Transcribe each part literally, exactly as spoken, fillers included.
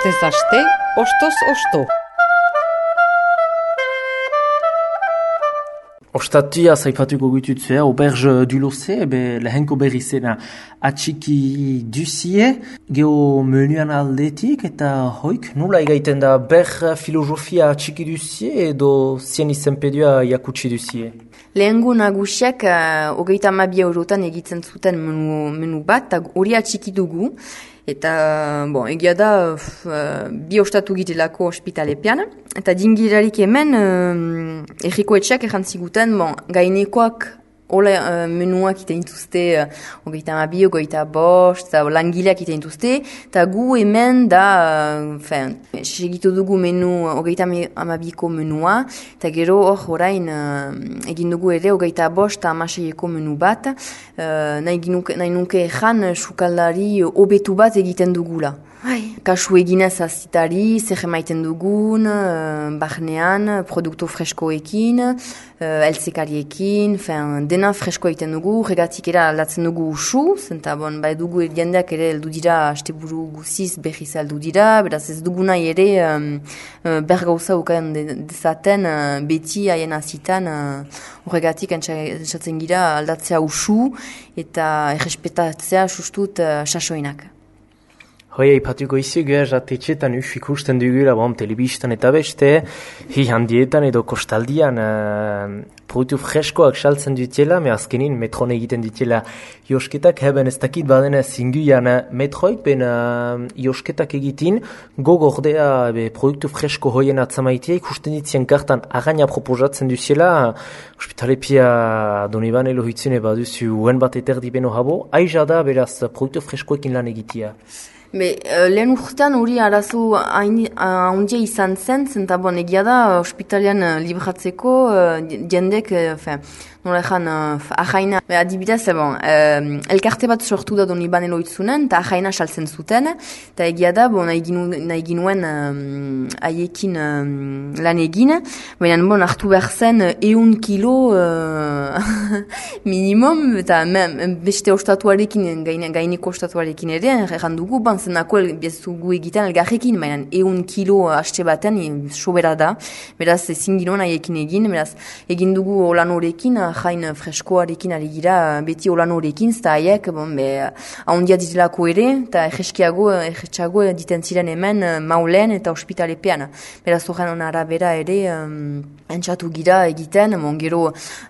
Astez aste, ostoz osto. Ostatia zaipatuko gitutzea, auberge du Lozé, ebe lehenko berri zena atxiki duzie, geho menuan aldetik, eta hoik, nola egaiten da ber filosofia atxiki duzie edo zien izenpedua jakutsi duzie? Lehengo nagusiak uh, hogeita hamabi eurotan egitzen zuten menu, menu bat, eta hori atxiki dugu. Eta, bon, egia da, uh, bi ostatu gitelako ospitalepean. Eta dingirarik hemen, uh, erriko etxeak errantziguten, bon, gainekoak hola uh, menuak iten dituzte, uh, hogeita amabi, hogeita bost, langileak iten dituzte, eta gu hemen da, uh, fen, segitu dugu menu, hogeita amabiko menua, eta gero hor orain uh, egin dugu ere hogeita bost eta amaseieko menu bat, uh, nahi, ginuke, nahi nuke ezan sukaldari hobetu bat egiten dugula. Hai. Kasu eginez azitari, zer emaiten dugun, uh, barnean, produktu freskoekin, uh, eltzekariekin, fen, dena fresko egiten dugu, regatik era aldatzen dugu usu, zenta bon, bai dugu jendeak ere heldu dira, asteburu guziz berriz heldu dira, beraz ez dugu nahi ere um, uh, bergauza ukan dezaten uh, beti haien azitan, horregatik uh, entzatzen gira aldatzea usu eta errespetatzea sustut uh, sasoinak. Hoi, aipatuko izi gehaz atetxetan uf ikusten dugula, bom, telebistan eta beste, hi handietan edo kostaldian uh, produktu freskoak saltzen dutela, me azkenin metron egiten dutela josketak, heben ez dakit badena zinguian uh, metroik, ben uh, josketak egitin, gogordea be, produktu fresko hoien atzamaitia, ikusten ditzien kartan againa proposatzen dutela, hospitalepia Doniban elohitzune baduzu uen bat eterdi beno habo, aiza da beraz produktu freskoekin lan egitia. Be, uh, lehen urtean hori arazo handia izan zen, zenta bon, egia da, ospitalian uh, libratzeko, uh, jendek, uh, nola ezan, uh, ahaina, be, adibidez, bon, uh, elkarte bat sortu da Doniban eloitzunen, eta ahaina saltzen zuten, eta egia da, bon, nahi, ginu, nahi ginuen haiekin uh, uh, lan egin, baina bon, hartu behar zen eun kilo uh, minimum, eta me, beste ostatuarekin, gaine, gaineko ostatuarekin ere, erran dugu, ban, zenako bezugu egiten elgarrekin, baina eun kilo haste baten sobera da, beraz ezin ginoen haiekin egin, beraz egin dugu olan horekin, jain freskoarekin ari gira, beti olan horekin, zeta haiek, bon, be, ahondia ditelako ere, eta egeskiago, egetxago diten ziren hemen maulen eta ospitalepean. Beraz horren arabera ere, um, entzatu gira egiten, bon, gero,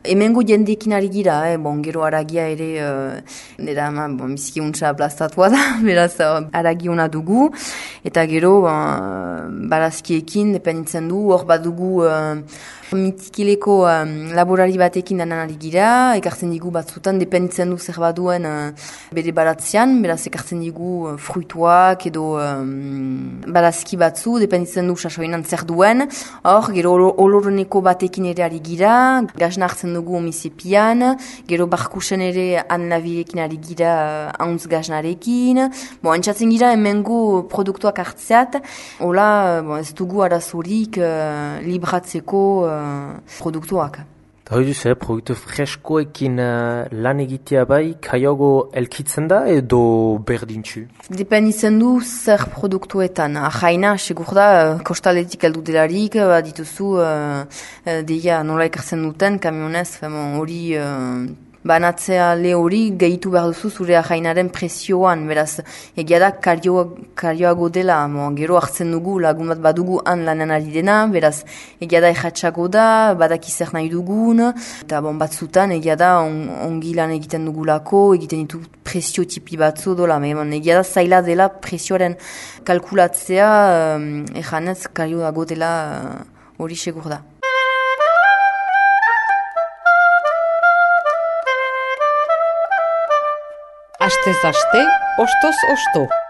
hemengo jendekin ari gira, eh, bon, gero aragia ere, uh, nera, bon, biziki untsa aplastatua da, beraz, uh, aragiona dugu, eta gero uh, barazkiekin dependitzen du, hor bat dugu uh, mitikileko um, laborari batekin danan ari gira, ekartzen digu batzutan, dependitzen du zer baduen uh, bere baratzean, beraz ekartzen digu uh, fruituak edo um, barazki batzu, dependitzen du sasoinan zer duen, hor gero oloroneko batekin ere ari gira, gazna hartzen dugu omizepian, gero barkusen ere anlaviekin ari gira uh, hauntz gaznarekin, bon, entzatzen gira hemengo produktuak hartzeat, hola, bon, ez dugu arazorik uh, libratzeko uh, produktuak. Eta hori duzu, eh, produktu freskoekin uh, lan egitea bai, kaiago elkitzen da edo berdintxu? Dependitzen du zer produktuetan. Ahaina, segur da, kostaletik heldu delarik, dituzu, uh, deia nola ekartzen duten, kamionez, hori... Uh, banatzea le hori gehitu behar duzu zure ahainaren presioan, beraz, egia da karioa, karioago dela, mo, gero hartzen dugu, lagun bat badugu han lanan ari dena, beraz, egia da erratxago da, badaki zer nahi dugun, eta bon, batzutan, egia da on, ongi lan egiten dugulako, egiten ditu presio tipi batzu dola, bon, egia da zaila dela presioaren kalkulatzea, um, erranez karioago dela hori uh, segur da. Astez aste, ostoz osto.